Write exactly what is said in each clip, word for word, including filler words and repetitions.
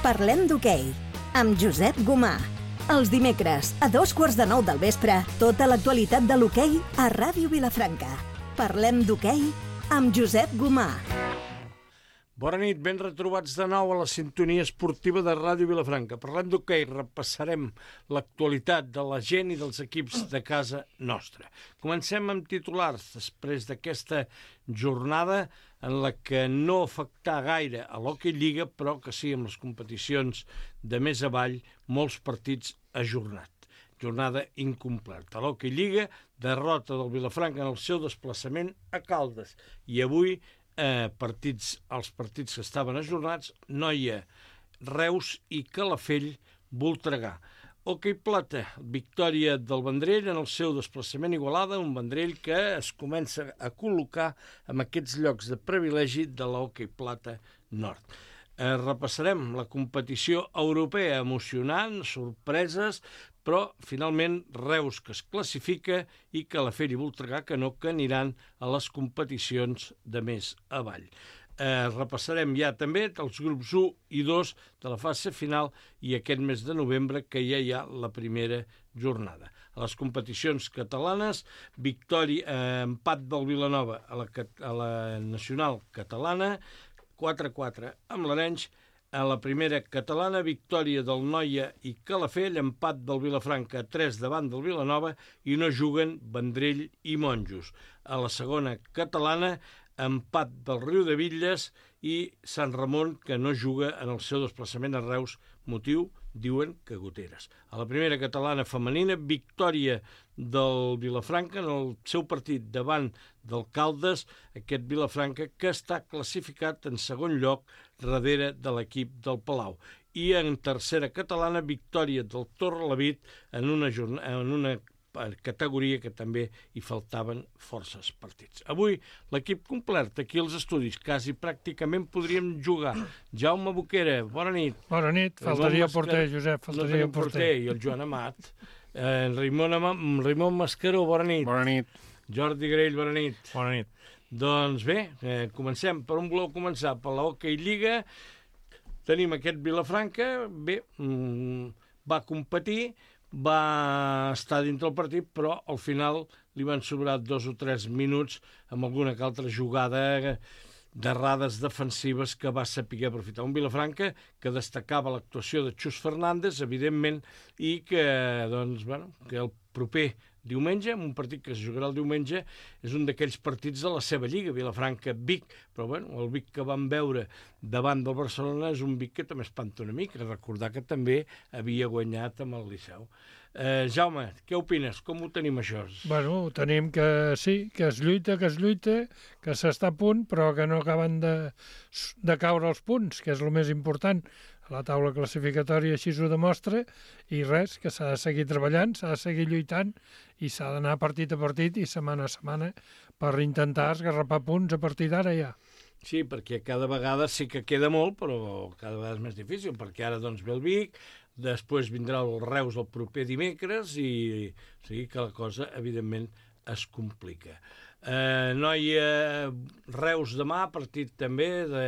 Parlem d'hoquei, amb Josep Gomà. Els dimecres, a dos quarts de nou del vespre, tota l'actualitat de l'hoquei a Ràdio Vilafranca. Parlem d'hoquei amb Josep Gomà. Bona nit, ben retrobats de nou a la sintonia esportiva de Ràdio Vilafranca. Parlem d'hoquei, repassarem l'actualitat de la gent i dels equips de casa nostra. Comencem amb titulars, després d'aquesta jornada en la que no afectà gaire a l'Hockey Lliga, però que sí amb les competicions de més avall, molts partits ajornat. Jornada incompleta. A l'Hockey Lliga, derrota del Vilafranca en el seu desplaçament a Caldes. I avui Eh, partits, els partits que estaven ajornats, Noia, Reus i Calafell, Voltregà. Hoquei Plata, victòria del Vendrell en el seu desplaçament a Igualada, un Vendrell que es comença a col·locar en aquests llocs de privilegi de l'Hoquei Plata Nord. Eh, repassarem la competició europea, emocionant, sorpreses, però finalment Reus que es classifica i Calafell i Voltregà que no, que aniran a les competicions de més avall. Eh, repassarem ja també els grups u i dos de la fase final i aquest mes de novembre que ja hi ha la primera jornada. A les competicions catalanes, victòria, eh, empat del Vilanova a la, a la nacional catalana, quatre a quatre amb l'Arenys. A la primera catalana, victòria del Noia i Calafell, empat del Vilafranca a tres davant del Vilanova i no juguen Vendrell i Monjos. A la segona catalana, empat del Riudebitlles i Sant Ramon, que no juga en el seu desplaçament a Reus, motiu, diuen que goteres. A la primera catalana femenina, victòria del Vilafranca en el seu partit davant del Caldes, aquest Vilafranca que està classificat en segon lloc darrere de l'equip del Palau. I en tercera catalana, victòria del Torrelavit en una, en una categoria que també hi faltaven forces partits. Avui l'equip complet aquí als estudis, quasi pràcticament podríem jugar. Jaume Boquera, bona nit. Bona nit, faltaria el porter, Josep, faltaria el porter. I el Joan Amat. Eh, Raimon, Raimon Mascaró, bona nit. Bona nit. Jordi Grell, bona nit. Bona nit. Doncs bé, eh, comencem. Per on voleu començar? Per la Hockey Lliga. Tenim aquest Vilafranca, bé, mmm, va competir, va estar dintre el partit, però al final li van sobrar dos o tres minuts amb alguna que altra jugada d'errades defensives que va saber aprofitar. Un Vilafranca que destacava l'actuació de Xus Fernández, evidentment, i que, doncs, bueno, que el proper diumenge, un partit que es jugarà el diumenge, és un d'aquells partits de la seva lliga, Vilafranca-Vic, però bueno, el Vic que vam veure davant del Barcelona és un Vic que també espanta una mica, recordar que també havia guanyat amb el Liceu. Eh, Jaume, què opines? Com ho tenim això? Bueno, ho tenim que sí, que es lluita, que es lluita, que s'està a punt, però que no acaben de, de caure els punts, que és el més important. La taula classificatòria així ho demostra, i res, que s'ha de seguir treballant, s'ha de seguir lluitant i s'ha d'anar partit a partit i setmana a setmana per intentar esgarrapar punts a partir d'ara ja. Sí, perquè cada vegada sí que queda molt, però cada vegada és més difícil, perquè ara doncs ve el Vic, després vindrà el Reus el proper dimecres i o sigui que la cosa, evidentment, es complica. Eh, Noia, Reus demà, partit també de...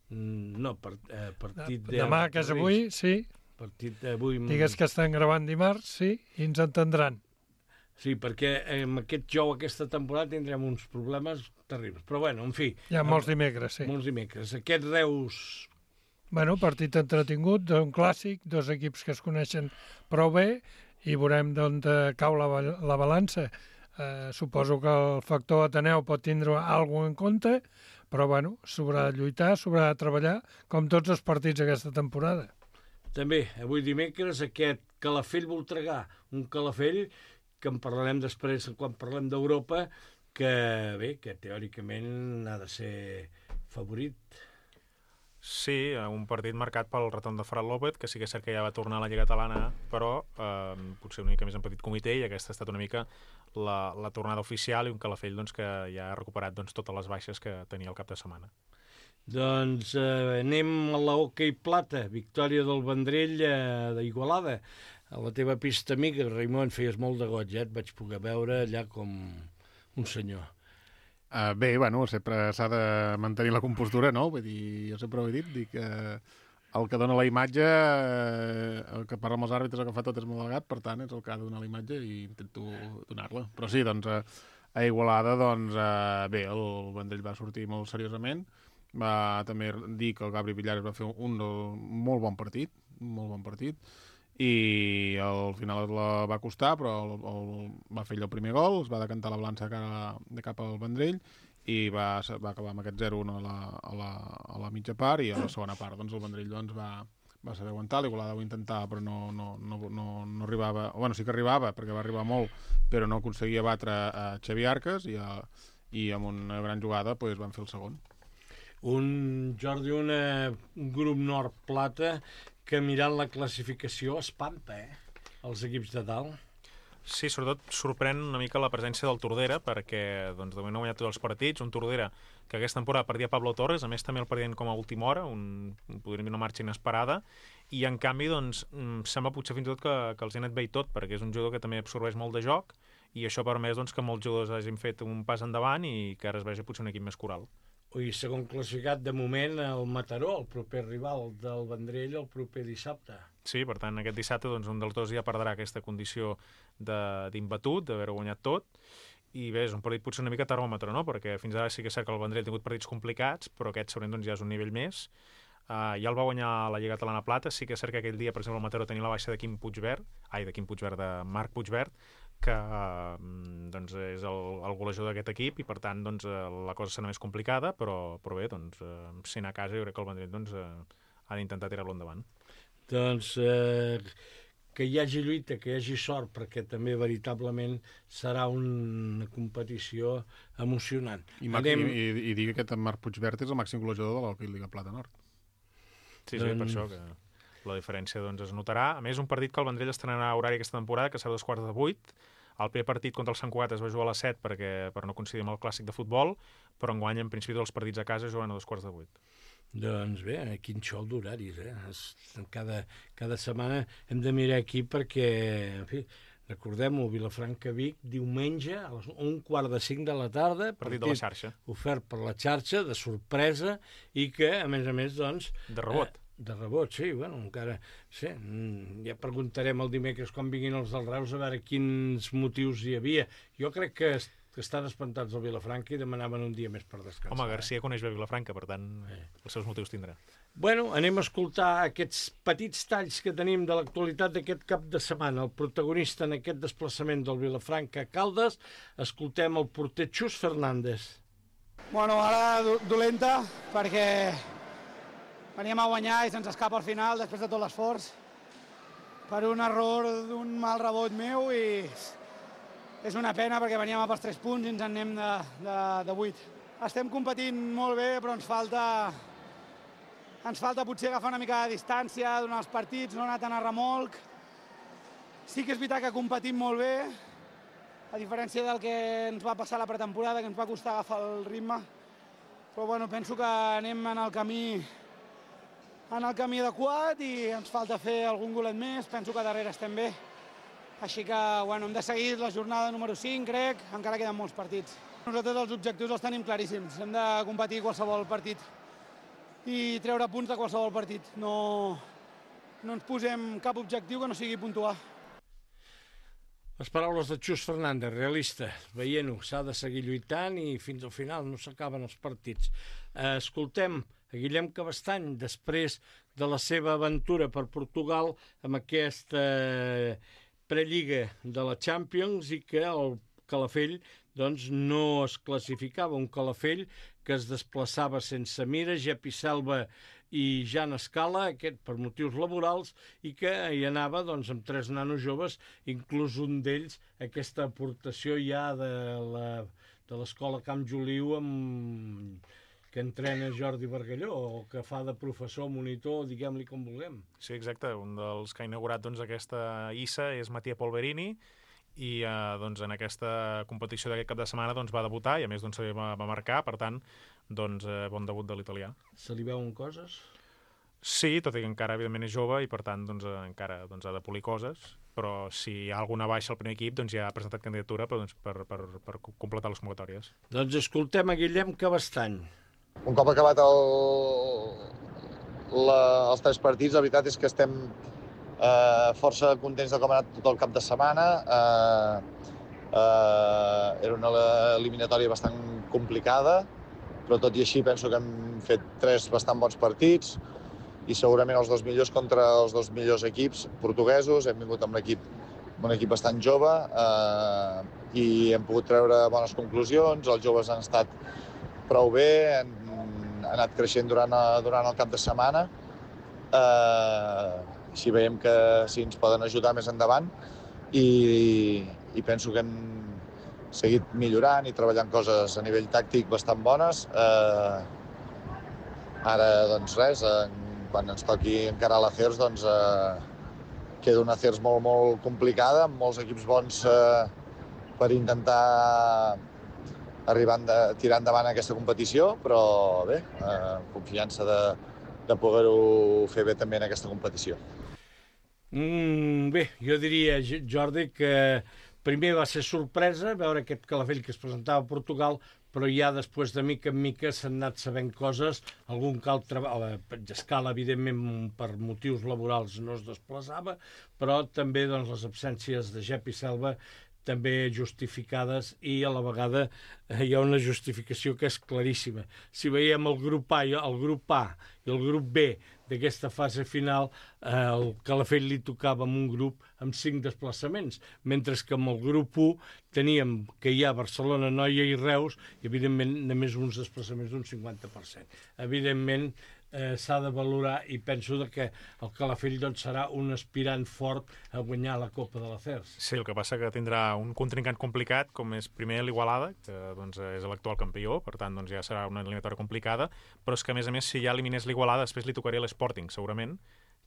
No, part, eh, partit... De... Demà, que és avui, sí. Partit d'avui... Digues que estan gravant dimarts, sí, i ens entendran. Sí, perquè amb aquest jou aquesta temporada tindrem uns problemes terribles. Però bueno, en fi... Hi ha molts dimecres, sí. Molts dimecres. Aquest Reus... Bueno, partit entretingut, un clàssic, dos equips que es coneixen prou bé i veurem d'on cau la, la balança. Eh, suposo que el factor Ateneu pot tindre alguna cosa en compte, però bueno, s'haurà de lluitar, s'haurà de treballar, com tots els partits aquesta temporada. També, avui dimecres, aquest Calafell-Voltregà, un Calafell que en parlarem després quan parlem d'Europa, que bé, que teòricament ha de ser favorit. Sí, un partit marcat pel retorn de Ferran López, que sí que és cert que ja va tornar a la Lliga Catalana, però eh, potser una mica més en petit comitè, i aquesta ha estat una mica la, la tornada oficial, i un Calafell doncs, que ja ha recuperat doncs, totes les baixes que tenia el cap de setmana. Doncs eh, anem a la Hockey Plata, victòria del Vendrell eh, d'Igualada. A la teva pista amiga, Raimon, feies molt de goig, eh? Et vaig poder veure allà com un senyor. Uh, bé, bueno, sempre s'ha de mantenir la compostura, no? Vull dir, jo sempre ho he dit, dic que el que dona la imatge, eh, el que parla amb els àrbitres, el que fa tot és molt delegat, per tant, és el que ha de donar la imatge i intento donar-la. Però sí, doncs, eh, a Igualada, doncs, eh, bé, el Vendrell va sortir molt seriosament, va també dir que el Gabri Villares va fer un, un molt bon partit, molt bon partit, i al final la va costar, però el, el, va fer ell el primer gol, es va decantar la balança cara, de cap al Vendrell, i va, va acabar amb aquest zero a la, a, la, a la mitja part, i a la segona part doncs, el Vendrell doncs, va, va saber aguantar, l'Igualada ho intentava, però no, no, no, no, no arribava, o bueno, sí que arribava, perquè va arribar molt, però no aconseguia batre a Xavi Arcas, i, a, i amb una gran jugada pues, van fer el segon. Un, Jordi, una, un grup nord-plata que mirant la classificació espanta, eh? Els equips de dalt. Sí, sobretot sorprèn una mica la presència del Tordera, perquè doncs, de moment no ha guanyat tots els partits, un Tordera que aquesta temporada perdia Pablo Torres, a més també el perdien com a última hora, un, podríem dir una marxa inesperada, i en canvi doncs, sembla potser fins i tot que, que els ha anat bé i tot, perquè és un jugador que també absorbeix molt de joc, i això ha permès doncs, que molts jugadors hagin fet un pas endavant i que ara es vegi potser un equip més coral. Ui, segon classificat de moment el Mataró, el proper rival del Vendrell, el proper dissabte. Sí, per tant, aquest dissabte doncs, un dels dos ja perdrà aquesta condició d'imbatut, d'haver guanyat tot, i bé, és un partit potser una mica termòmetre, no? Perquè fins ara sí que és cert que el Vendrell ha tingut partits complicats, però aquest segurament doncs, ja és un nivell més. Uh, ja el va guanyar la Lliga Catalana Plata, sí que és cert que aquell dia, per exemple, el Mataró tenia la baixa de Quim Puigverd, ai, de Quim Puigverd, de Marc Puigverd, que uh, doncs és el, el golejador d'aquest equip i per tant doncs, la cosa serà més complicada, però, però bé, doncs, uh, si anar a casa jo crec que el Vendrell doncs, uh, ha d'intentar tirar-lo endavant. Doncs eh, que hi hagi lluita, que hi hagi sort, perquè també veritablement serà una competició emocionant. I, Anem... i, i, i digui que aquest Marc Puigverd és el màxim golejador de l'Hockey Lliga Plata Nord. Sí, sí, doncs... per això que la diferència doncs, es notarà. A més, un partit que el Vendrell estrenarà a horari aquesta temporada, que serà dos quarts de vuit. El primer partit contra el Sant Cugat es va jugar a les set perquè, per no coincidir amb el clàssic de futbol, però enguany, en principi, dels partits a casa juguen a dos quarts de vuit. Doncs bé, quin xou d'horaris, eh? Cada, cada setmana hem de mirar aquí perquè, en fi, recordem-ho, Vilafranca-Vic, diumenge a les un quart de cinc de la tarda. Partit de la xarxa. Ofert per la xarxa, de sorpresa, i que, a més a més, doncs... De rebot. Eh, de rebot, sí, bueno, encara... Sí, ja preguntarem el dimecres quan vinguin els del Reus a veure quins motius hi havia. Jo crec que... que estan espantats al Vilafranca i demanaven un dia més per descansar. Home, Garcia eh? coneix bé Vilafranca, per tant, eh. els seus motius tindrà. Bueno, anem a escoltar aquests petits talls que tenim de l'actualitat d'aquest cap de setmana. El protagonista en aquest desplaçament del Vilafranca a Caldes, escoltem el porter Xus Fernández. Bueno, ara do dolenta, perquè veníem a guanyar i se'ns escapa al final, després de tot l'esforç, per un error d'un mal rebot meu i... és una pena perquè veníem a pels tres punts i ens en anem de, de, de vuit. Estem competint molt bé, però ens falta, ens falta potser agafar una mica de distància durant els partits, no anar tant a remolc. Sí que és veritat que competim molt bé, a diferència del que ens va passar la pretemporada, que ens va costar agafar el ritme. Però bueno, penso que anem en el camí, en el camí adequat i ens falta fer algun golet més. Penso que darrere estem bé. Així que bueno, hem de seguir la jornada número cinc, crec, encara queden molts partits. Nosaltres els objectius els tenim claríssims, hem de competir qualsevol partit i treure punts de qualsevol partit. No, no ens posem cap objectiu que no sigui puntuar. Les paraules de Xus Fernández, realista, veient-ho, s'ha de seguir lluitant i fins al final no s'acaben els partits. Escoltem a Guillem Cabestany, després de la seva aventura per Portugal amb aquesta prelliga de la Champions i que el Calafell doncs, no es classificava. Un Calafell que es desplaçava sense Mira, Jepi Selva i Jan Escala, aquest per motius laborals, i que hi anava doncs, amb tres nanos joves, inclús un d'ells aquesta aportació ja de la, de l'escola Camp Joliu amb... que entrena Jordi Bargalló, o que fa de professor, monitor, diguem-li com vulguem. Sí, exacte. Un dels que ha inaugurat doncs, aquesta I S A és Mattia Polverini, i eh, doncs, en aquesta competició d'aquest cap de setmana doncs, va debutar, i a més doncs, va, va marcar, per tant, doncs, eh, bon debut de l'italià. Se li veuen coses? Sí, tot i que encara, evidentment, és jove, i per tant, doncs, encara doncs, ha de polir coses, però si hi ha alguna baixa al primer equip, doncs ja ha presentat candidatura per, doncs, per, per, per completar les convocatòries. Doncs escoltem a Guillem Cabestany. Un cop acabat el, la, els tres partits, la veritat és que estem eh, força contents de com ha anat tot el cap de setmana. Eh, eh, era una eliminatòria bastant complicada, però tot i així penso que hem fet tres bastant bons partits i segurament els dos millors contra els dos millors equips portuguesos. Hem vingut amb l'equip un equip bastant jove eh, i hem pogut treure bones conclusions. Els joves han estat prou bé, han, han anat creixent durant, durant el cap de setmana. Eh, així veiem que sí, ens poden ajudar més endavant i, i penso que hem seguit millorant i treballant coses a nivell tàctic bastant bones. Eh, ara, doncs res, eh, quan ens toqui encarar l'Acers, doncs eh, queda una Acers molt, molt complicada, amb molts equips bons eh, per intentar arribar a tirar endavant aquesta competició, però bé, eh, confiança de, de poder-ho fer bé també en aquesta competició. Mm, bé, jo diria, Jordi, que primer va ser sorpresa veure aquest Calafell que es presentava a Portugal, però ja després de mica en mica s'han anat sabent coses. Algun cal treball, Escala, evidentment, per motius laborals no es desplaçava, però també doncs, les absències de Jep i Selva també justificades, i a la vegada eh, hi ha una justificació que és claríssima. Si veiem el grup A, el grup A i el grup B d'aquesta fase final, eh, el Calafell li tocava amb un grup amb cinc desplaçaments, mentre que amb el grup u teníem que hi ha Barcelona, Noia i Reus, i evidentment només uns desplaçaments d'un cinquanta per cent. Evidentment eh, s'ha de valorar, i penso que el Calafell doncs, serà un aspirant fort a guanyar la Copa de l'Acers. Sí, el que passa que tindrà un contrincant complicat, com és primer l'Igualada, que doncs, és l'actual campió, per tant doncs, ja serà una eliminatòria complicada, però és que a més a més si ja eliminés l'Igualada després li tocaria l'Sporting, segurament,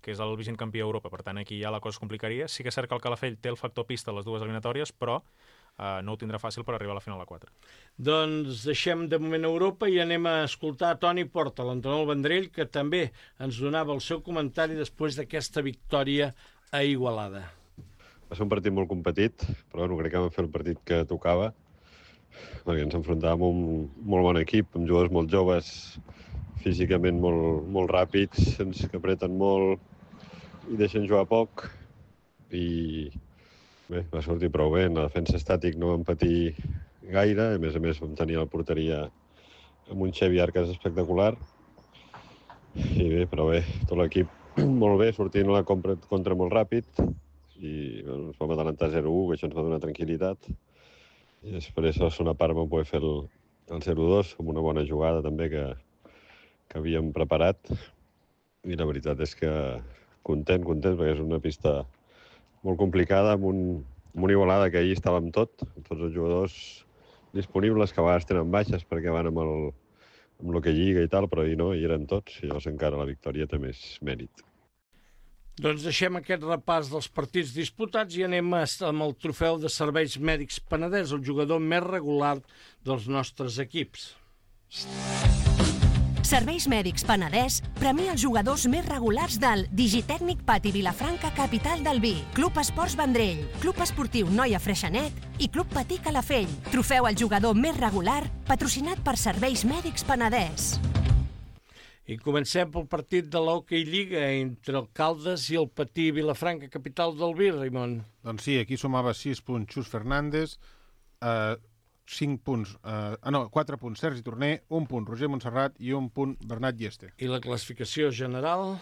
que és el vigent campió d'Europa, per tant aquí ja la cosa es complicaria. Sí que és cert que el Calafell té el factor pista a les dues eliminatòries, però eh, no ho tindrà fàcil per arribar a la final a quatre. Doncs deixem de moment Europa i anem a escoltar Toni Porta, l'entrenador del Vendrell, que també ens donava el seu comentari després d'aquesta victòria a Igualada. Va ser un partit molt competit, però bueno, crec que vam fer el partit que tocava, perquè ens enfrontàvem amb un molt bon equip, amb jugadors molt joves, físicament molt, molt ràpids, que apreten molt i deixen jugar poc. I bé, va sortir prou bé. En la defensa estàtic no vam patir gaire, a més a més vam tenir la porteria amb un Xevi Arcas espectacular. I bé, però bé, tot l'equip molt bé, sortint a la contra, contra molt ràpid, i bueno, ens vam adelantar zero a u, que això ens va donar tranquil·litat. I després a la segona part vam poder fer el, el zero a dos, amb una bona jugada també que, que havíem preparat. I la veritat és que content, content, perquè és una pista molt complicada, amb, un, amb una Igualada que ahir estàvem tot, amb tots els jugadors disponibles, que a vegades tenen baixes perquè van amb el, amb el que lliga i tal, però ahir no, hi eren tots, i llavors encara la victòria té més mèrit. Doncs deixem aquest repàs dels partits disputats i anem amb el trofeu de Serveis Mèdics Penedès, el jugador més regular dels nostres equips. Serveis Mèdics Penedès premia els jugadors més regulars del Digitècnic Pati Vilafranca, capital del vi, Club Esports Vendrell, Club Esportiu Noia Freixenet i Club Patí Calafell. Trofeu al jugador més regular, patrocinat per Serveis Mèdics Penedès. I comencem pel partit de l'Hockey Lliga entre el Caldes i el Patí Vilafranca, capital del vi, Raimon. Doncs sí, aquí sumava sis punts Xus Fernández, eh, cinc punts, eh, ah no, quatre punts Sergi Torner, un punt Roger Montserrat i un punt Bernat Lleste. I la classificació general?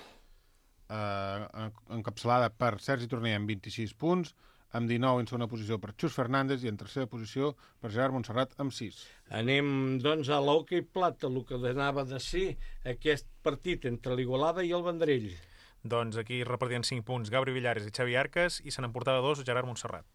Eh, encapçalada per Sergi Torner amb vint-i-sis punts, amb dinou en segona posició per Xus Fernández i en tercera posició per Gerard Montserrat amb sis. Anem, doncs, a l'Hockey Plata, el que donava de si aquest partit entre l'Igualada i el Vendrell. Doncs aquí repartien cinc punts Gabri Villares i Xavi Arcas i se n'emportava dos Gerard Montserrat.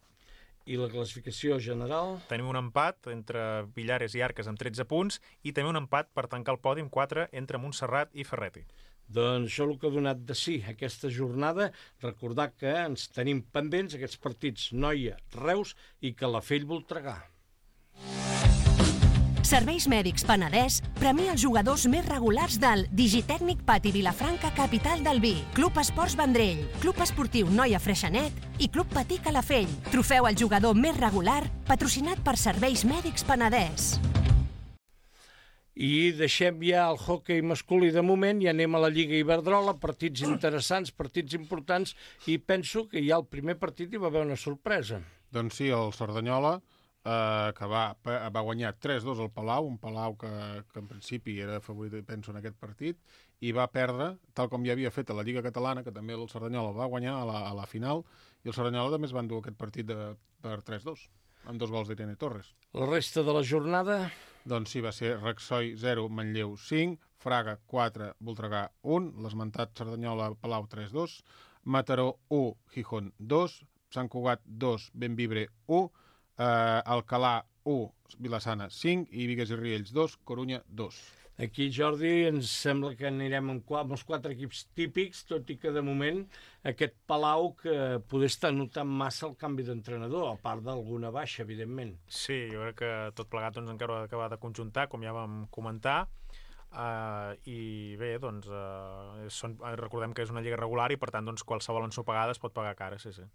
I la classificació general? Tenim un empat entre Villares i Arcas amb tretze punts i també un empat per tancar el podi amb quatre entre Montserrat i Ferretti. Doncs això és el que ha donat de si aquesta jornada. Recordar que ens tenim pendents aquests partits Noia, Reus i Calafell Voltregà. Serveis Mèdics Penedès premia els jugadors més regulars del Digitècnic Pati Vilafranca, capital del vi, Club Esports Vendrell, Club Esportiu Noia Freixenet i Club Patí Calafell. Trofeu al jugador més regular, patrocinat per Serveis Mèdics Penedès. I deixem ja el hoquei masculí de moment i anem a la Lliga Iberdrola, partits interessants, partits importants, i penso que ja el primer partit hi va haver una sorpresa. Doncs sí, el Cerdanyola, eh, que va, va guanyar tres dos al Palau, un Palau que, que en principi era favorit, penso, en aquest partit, i va perdre, tal com ja havia fet a la Lliga Catalana, que també el Cerdanyola va guanyar a la, a la final, i el Cerdanyola també es va endur aquest partit de, per tres dos, amb dos gols d'Irene Torres. La resta de la jornada... Doncs sí, va ser Rexoi zero, Manlleu cinc, Fraga quatre, Voltregà un, l'esmentat Cerdanyola-Palau tres dos, Mataró u, Gijón dos, Sant Cugat dos, Benvibre u, eh, Alcalà u, Vilassana cinc i Bigues i Riells dos, Corunya dos. Aquí, Jordi, ens sembla que anirem amb, amb els quatre equips típics, tot i que de moment aquest Palau que poder estar notant massa el canvi d'entrenador, a part d'alguna baixa, evidentment. Sí, jo crec que tot plegat doncs, encara ha d'acabar de conjuntar, com ja vam comentar, uh, i bé, doncs, uh, són, recordem que és una lliga regular i per tant doncs, qualsevol ensopegada es pot pagar cara, sí, sí.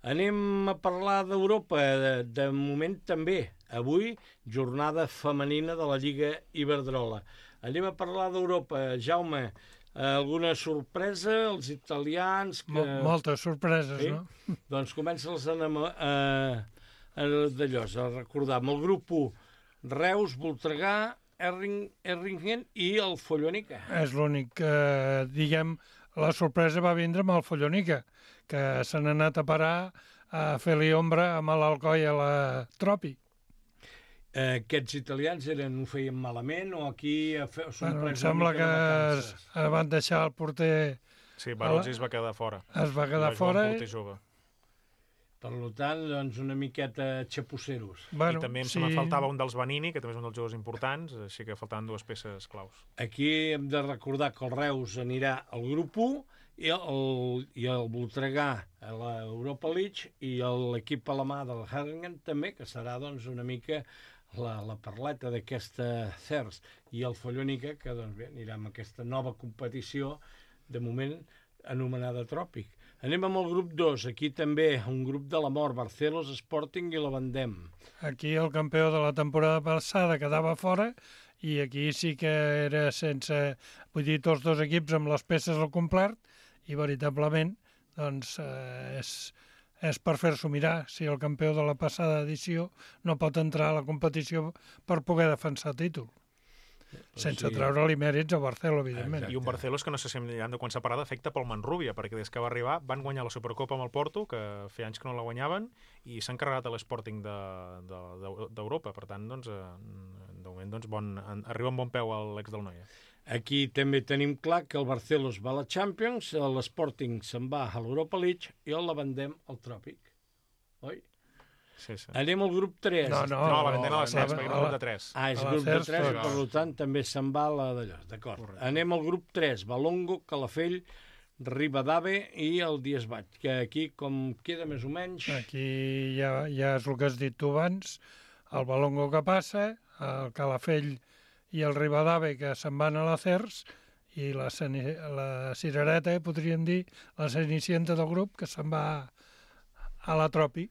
Anem a parlar d'Europa, de, de moment també. Avui, jornada femenina de la Lliga Iberdrola. Anem a parlar d'Europa. Jaume, alguna sorpresa? Els italians... Que... Moltes sorpreses, sí? No? Doncs comença-les a, a, a, d'allò, a recordar. Amb el grup u, Reus, Voltregà, Erring, Erringen i el Follonica. És l'únic que, diguem, la sorpresa va vindre amb el Follonica, que s'han anat a parar a fer-li ombra amb l'Alcoi a la Tropi. Eh, aquests italians eren, ho feien malament o aquí són bueno, prens em sembla que de es, es van deixar el porter... Sí, Barozzi es va quedar fora. Es va quedar fora. I... Per tant, doncs, una miqueta xapusseros. Bueno, I també em sí. me faltava un dels Vanini, que també és un dels jugadors importants, així que faltaven dues peces claus. Aquí hem de recordar que el Reus anirà al grup u i el, i el Voltregà a l'Europa League i l'equip alemà del Herringen també, que serà doncs, una mica la, la perleta d'aquesta C E R S. I el Follonica, que doncs, bé, anirà amb aquesta nova competició, de moment anomenada Tròpic. Anem amb el grup dos, aquí també un grup de la mort, Barcelos, Sporting i la Vendem. Aquí el campió de la temporada passada quedava fora i aquí sí que era sense... Vull dir, tots dos equips amb les peces al complet i veritablement doncs, eh, és, és per fer-s'ho mirar si el campió de la passada edició no pot entrar a la competició per poder defensar el títol. Sense sí. treure-li mèrits a Barcelona, evidentment. Exacte. I un Barcelos que no sé si hem de quan s'ha parat d'efecte pel Manrubia, perquè des que va arribar van guanyar la Supercopa amb el Porto, que feia anys que no la guanyaven, i s'han carregat a l'Sporting d'Europa. Per tant, doncs, de moment doncs, bon, arriba amb bon peu a l'ex del Noia. Aquí també tenim clar que el Barcelos va a la Champions, l'Sporting se'n va a l'Europa League i el la Vendem al Tròpic. Oi? Sí, sí. Anem al grup tres. No, no, no la Vendem a la C E R S, la- perquè era el grup de tres. Ah, és A la grup de C E R S, tres, tots. per tant també se'n va a la d'allò. D'acord. Anem al grup tres, Balongo, Calafell, Ribadave i el Diesbat, que aquí com queda més o menys... Aquí ja, ja és el que has dit tu abans, el Balongo que passa, el Calafell i el Ribadave que se'n van a la C E R S i la, Ceni- la Cirereta, podríem dir, la cenicienta del grup, que se'n va a la Tropi.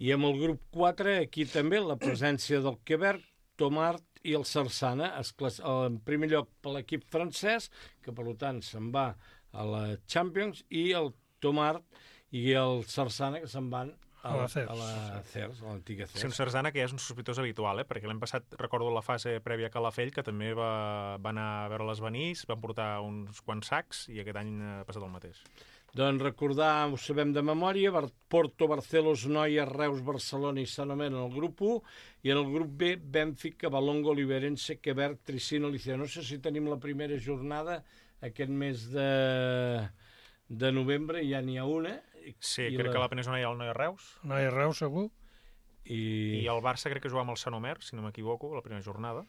I amb el grup quatre, aquí també la presència del Quebec, Tomart i el Sarsana, es clas- en primer lloc per l'equip francès, que per tant se'n va a la Champions, i el Tomart i el Sarsana, que se'n van a la, a la C E R S, a l'antiga C E Sí, un R S. Sarsana que ja és un sospitós habitual, eh? Perquè l'any passat recordo la fase prèvia a Calafell, que també va, va anar a veure-les venir, van portar uns quants sacs i aquest any ha passat el mateix. Doncs recordar, ho sabem de memòria, Bar- Porto, Barcelos, Noia, Reus, Barcelona i Sant Omer en el grup u, i en el grup B, Bènfica, Balongo, Liberense, Quebec, Tricino, Liceo. No sé si tenim la primera jornada aquest mes de, de novembre, ja n'hi ha una. Sí, I crec la- que la penúltima hi ha el Noia Reus, No hi ha Reus, segur. I, i el Barça crec que juga amb el Sant Omer, si no m'equivoco, la primera jornada,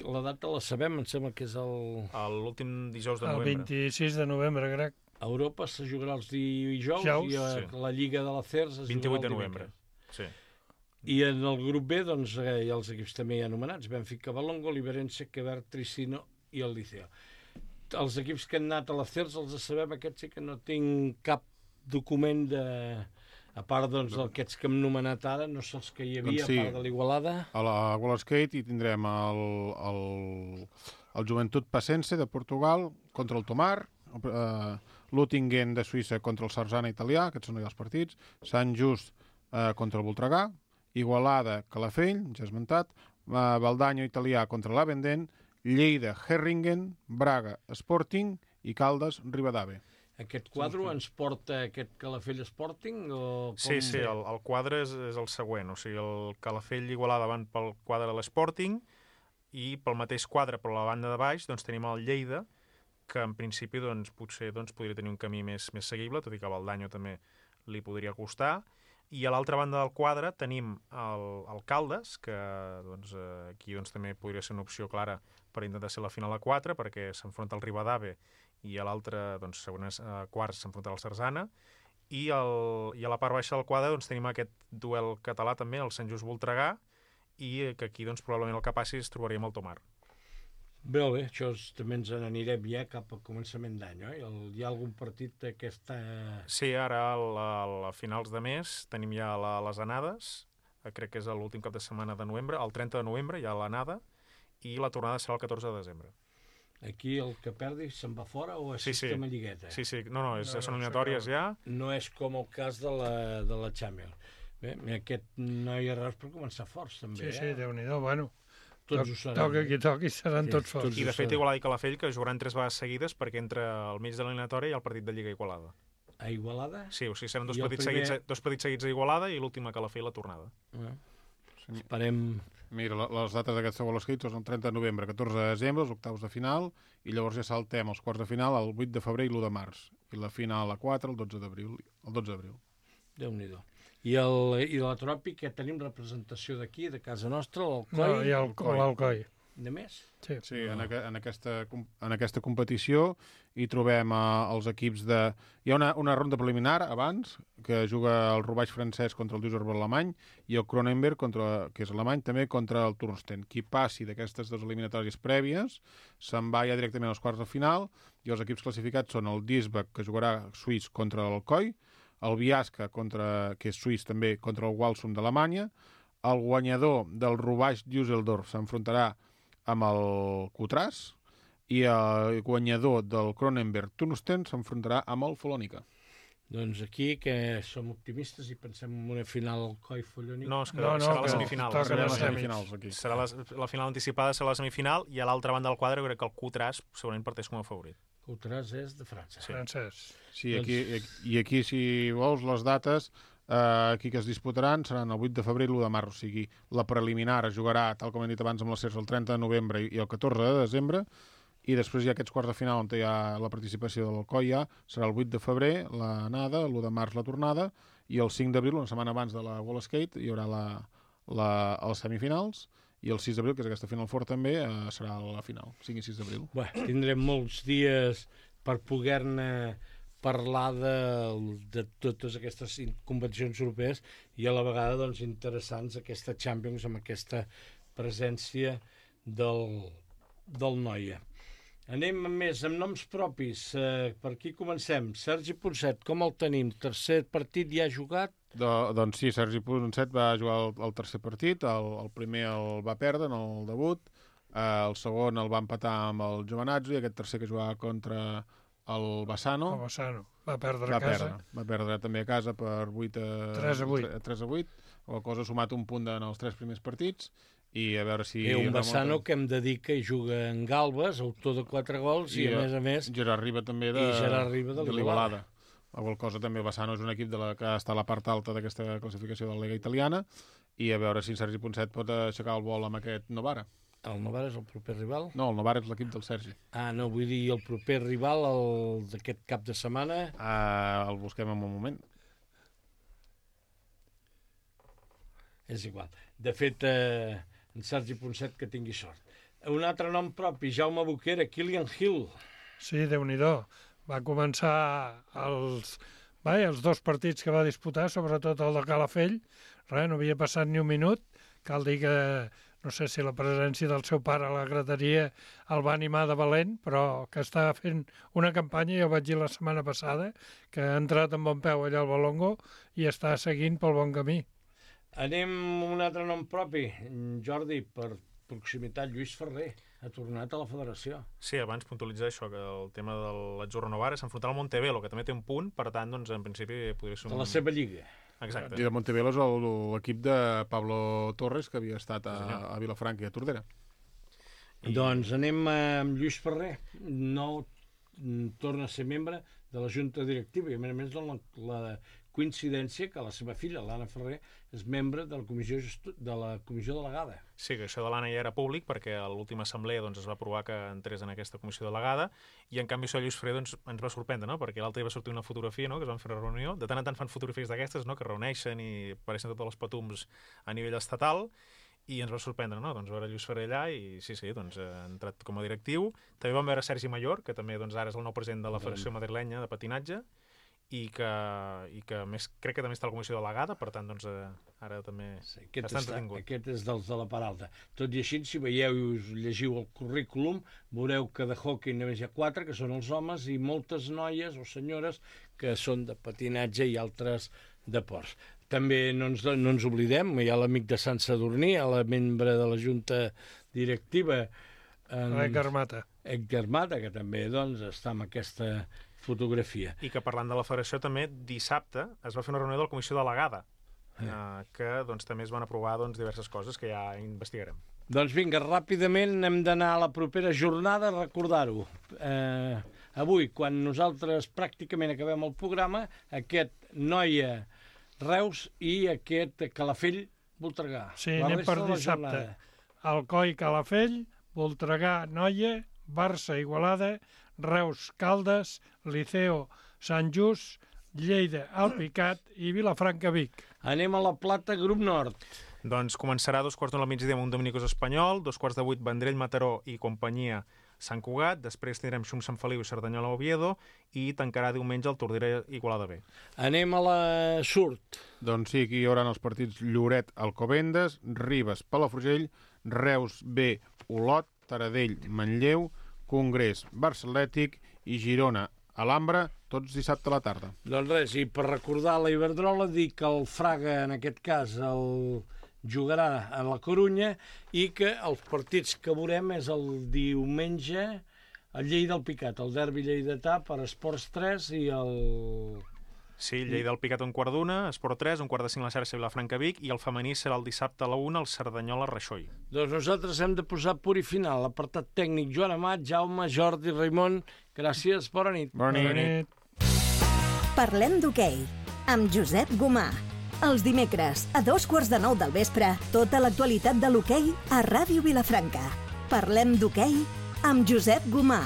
la data la sabem, em sembla que és el... l'últim dijous de El novembre. vint-i-sis de novembre, crec. A Europa se jugarà els dijous Dijous, i a sí. la Lliga de la C E R S es vint-i-vuit jugarà de el novembre. dimecres. Sí. I en el grup B, doncs, eh, hi ha els equips també ja anomenats, Benfica, Balongo, Liberense, Quebec, Tricino i el Liceo. Els equips que han anat a la C E R S els sabem, aquests sí que no tinc cap document de... A part doncs, d'aquests que hem nomenat ara, no sé els que hi havia, Doncs sí. a part de l'Igualada. A la World Skate hi tindrem el, el, el Joventut Pacense de Portugal contra el Tomar, eh, l'Uttingen de Suïssa contra el Sarzana italià, aquests són ja els partits, Sant Just eh, contra el Voltregà, Igualada Calafell, ja esmentat, eh, Valdanyo italià contra l'Avendent, Lleida Herringen, Braga Sporting i Caldes Ribadave. Aquest quadre ens porta aquest Calafell Sporting? O com Sí, sí, ve? el, el quadre és, és el següent. O sigui, el Calafell i Igualada van pel quadre de l'Sporting i pel mateix quadre, per la banda de baix, doncs tenim el Lleida, que en principi doncs, potser doncs, podria tenir un camí més, més seguible, tot i que a Valdanyo també li podria costar. I a l'altra banda del quadre tenim el, el Caldes, que doncs, aquí doncs, també podria ser una opció clara per intentar ser la final a quatre, perquè s'enfronta al Ribadave i a l'altre, doncs, segons eh, quarts, s'enfronta al Sarzana, i, el, i a la part baixa del quadre doncs, tenim aquest duel català també, el Sant Just Voltregà, i que aquí doncs, probablement el que passi es trobaríem el Tomar. Bé, bé, això és, també ens n'anirem ja cap a començament d'any, oi? El, hi ha algun partit d'aquesta... Sí, ara a, a finals de mes tenim ja la, les anades, crec que és l'últim cap de setmana de novembre, el trenta de novembre hi ha l'anada, i la tornada serà el catorze de desembre. Aquí el que perdi se'n va fora o és Sí, sí. sistema lligueta? Sí, sí, no, no, és, No, no, són eliminatòries ja. No és com el cas de la, de la Champions. Bé, aquest no hi ha res per començar forts, també, Sí, sí, eh? Déu-n'hi-do, bueno. Tots Toc, ho seran. toca qui toqui, seran Sí, tots tots forts. I de ho fet sabem. Igualada i Calafell que jugaran tres vegades seguides perquè entre al mig de l'eliminatòria hi ha el partit de Lliga Igualada. A Igualada? Sí, o sigui, seran dos I el partits, primer- seguits, dos partits seguits a Igualada i l'últim a Calafell la tornada. Eh? Esperem... Mira, la- les dates d'aquesta World Skate són el trenta de novembre, catorze de desembre, els octaus de final, i llavors ja saltem els quarts de final el vuit de febrer i l'u de març, i la final a quatre el dotze d'abril. El dotze d'abril. Déu-n'hi-do. I, el, I de la Tropi, que tenim representació d'aquí, de casa nostra, l'Alcoi? No, hi ha el, l'Alcoi. De més? Sí. Sí, en, aqu en, aquesta, com- en aquesta competició hi trobem eh, els equips de... Hi ha una, una ronda preliminar abans, que juga el Roubaix francès contra el Düsseldorf alemany i el Kronenberg, contra, que és alemany, també contra el Turnsten. Qui passi d'aquestes dues eliminatòries prèvies se'n va ja directament als quarts de final i els equips classificats són el Duisburg, que jugarà suís contra l'Alcoi, el Biasca, contra, que és suís també, contra el Walsum d'Alemanya, el guanyador del Roubaix Düsseldorf s'enfrontarà amb el Coutras i el guanyador del Kronenberg Turnsten s'enfrontarà amb el Folònica. Doncs aquí, que som optimistes i pensem en una final Alcoi-Folònica. No, és que No, no, serà la que semifinal. toca Serà les la, semis. semifinals aquí. serà la, la final anticipada serà la semifinal i a l'altra banda del quadre jo crec que el Coutras segurament parteix com a favorit. Coutras és de França. Sí. Francès. Sí, aquí, i aquí, si vols, les dates eh, aquí que es disputaran seran el vuit de febrer i l'u de març, o sigui, la preliminar es jugarà, tal com hem dit abans, amb les Cers el trenta de novembre i el catorze de desembre, i després hi ha aquests quarts de final on hi ha la participació de l'Alcoi, ja serà el vuit de febrer l'anada, l'u de març la tornada, i el cinc d'abril, una setmana abans de la World Skate, hi haurà la, la, les semifinals, i el sis d'abril, que és aquesta Final Four també, eh, serà la final, cinc i sis d'abril. Bé, tindrem molts dies per poder-ne parlar de, de totes aquestes competicions europees i a la vegada doncs, interessants aquesta Champions amb aquesta presència del, del Noia. Anem més amb noms propis. Eh, per aquí comencem. Sergi Ponset, com el tenim? Tercer partit ja jugat? Do, doncs sí, Sergi Ponset va jugar el, el tercer partit, el, el primer el va perdre en el debut, eh, el segon el va empatar amb el Giovanazzo i aquest tercer que jugava contra el Bassano El Bassano va perdre va a casa. perdre, va perdre també a casa per vuit a tres a vuit. tres a vuit, la cosa ha sumat un punt en els tres primers partits i a veure si... I un Bassano remunten. que hem de dir que juga en Galbes, autor de quatre gols, i, I, a més a més... Gerard Riba també de, I Gerard Riba de de l'Igualada. l'Igualada. La qual cosa també Bassano és un equip de la que està a la part alta d'aquesta classificació de la Liga Italiana i a veure si Sergi Ponset pot aixecar el vol amb aquest Novara. El Novara és el proper rival? No, el Novara és l'equip del Sergi. Ah, no, vull dir el proper rival el d'aquest cap de setmana. Uh, el busquem en un moment. És igual. De fet, eh, en Sergi Ponset que tingui sort. Un altre nom propi, Jaume Boquera, Kilian Hill. Sí, Déu-n'hi-do. Va començar els, vai, els dos partits que va disputar, sobretot el de Calafell. Res, no havia passat ni un minut. Cal dir que no sé si la presència del seu pare a la graderia el va animar de valent, però que està fent una campanya, ja ho vaig dir la setmana passada, que ha entrat amb bon peu allà al Balongo i està seguint pel bon camí. Anem a un altre nom propi, Jordi, per proximitat, Lluís Ferrer ha tornat a la federació. Sí, abans puntualitzar això, que el tema de l'Azzurro Novara s'enfrontarà al Montevelo, que també té un punt, per tant, doncs, en principi podria ser un... De la seva lliga. Exacte. I de Montevelo és l'equip de Pablo Torres, que havia estat a, a Vilafranca i a Tordera. I... Doncs anem amb Lluís Ferrer. No torna a ser membre de la Junta Directiva i, a més a més, la, la coincidència que la seva filla, l'Anna Ferrer, és membre de la comissió, de la comissió delegada. Sí, que això de l'Anna ja era públic, perquè a l'última assemblea doncs, es va aprovar que entrés en aquesta comissió delegada, i en canvi això Lluís Ferrer doncs, ens va sorprendre, no? Perquè l'altre dia va sortir una fotografia, no? Que es van fer una reunió, de tant en tant fan fotografies d'aquestes, no? Que reuneixen i apareixen tots els patums a nivell estatal, i ens va sorprendre, no? Doncs veure Lluís Ferrer allà i sí, sí, doncs ha entrat com a directiu. També vam veure Sergi Mayor, que també doncs, ara és el nou president de la Federació Madrilenya de Patinatge, i que, i que més, crec que també està a la comissió delegada, per tant, doncs, eh, ara també sí, aquest està està, entretingut. Aquest és dels de la Peralta. Tot i així, si veieu i us llegiu el currículum, veureu que de hockey només hi ha quatre, que són els homes, i moltes noies o senyores que són de patinatge i altres deports. També no ens, no ens oblidem, hi ha l'amic de Sant Sadurní, la membre de la Junta Directiva, en... Edgar Mata. Edgar Mata, que també doncs, està amb aquesta fotografia. I que parlant de la federació també, dissabte es va fer una reunió de la comissió delegada, eh. Eh, que doncs, també es van aprovar doncs, diverses coses que ja investigarem. Doncs vinga, ràpidament hem d'anar a la propera jornada a recordar-ho. Eh, avui, quan nosaltres pràcticament acabem el programa, aquest Noia Reus i aquest Calafell Voltregà. Sí, anem per dissabte. Alcoi Calafell, Voltregà Noia, Barça Igualada, Reus Caldes, Liceo Sant Just, Lleida Alpicat i Vilafranca Vic. Anem a la Plata, grup nord. Doncs començarà a dos quarts d'una al migdia amb un Dominicos Espanyol, dos quarts de vuit Vendrell Mataró i companyia Sant Cugat, després tindrem Xum Sant Feliu i Cerdanyola Oviedo i tancarà diumenge el Tordera Igualada B. Anem a la Surt. Doncs sí, aquí hi haurà els partits Lloret Alcobendes, Ribes Palafrugell, Reus B Olot, Taradell Manlleu, Congrés Barça Atlètic i Girona Alhambra, tots dissabte a la tarda. Doncs res, i per recordar la Iberdrola, dir que el Fraga, en aquest cas, el jugarà a la Corunya i que els partits que veurem és el diumenge a Lleida Alpicat, el derbi lleidatà per Esports tres i el... Sí, Lleida Alpicat un quart d'una, Esport tres, un quart de cinc la xarxa Vilafranca Vic i el femení serà el dissabte a la una, el Cerdanyola Reixoi. Doncs nosaltres hem de posar punt i final. L'apartat tècnic Joan Amat, Jaume, Jordi, Raimon, gràcies, bona nit. Bona nit. Bona nit. Parlem d'hoquei, amb Josep Gomà. Els dimecres, a dos quarts de nou del vespre, tota l'actualitat de l'hoquei a Ràdio Vilafranca. Parlem d'hoquei amb Josep Gomà.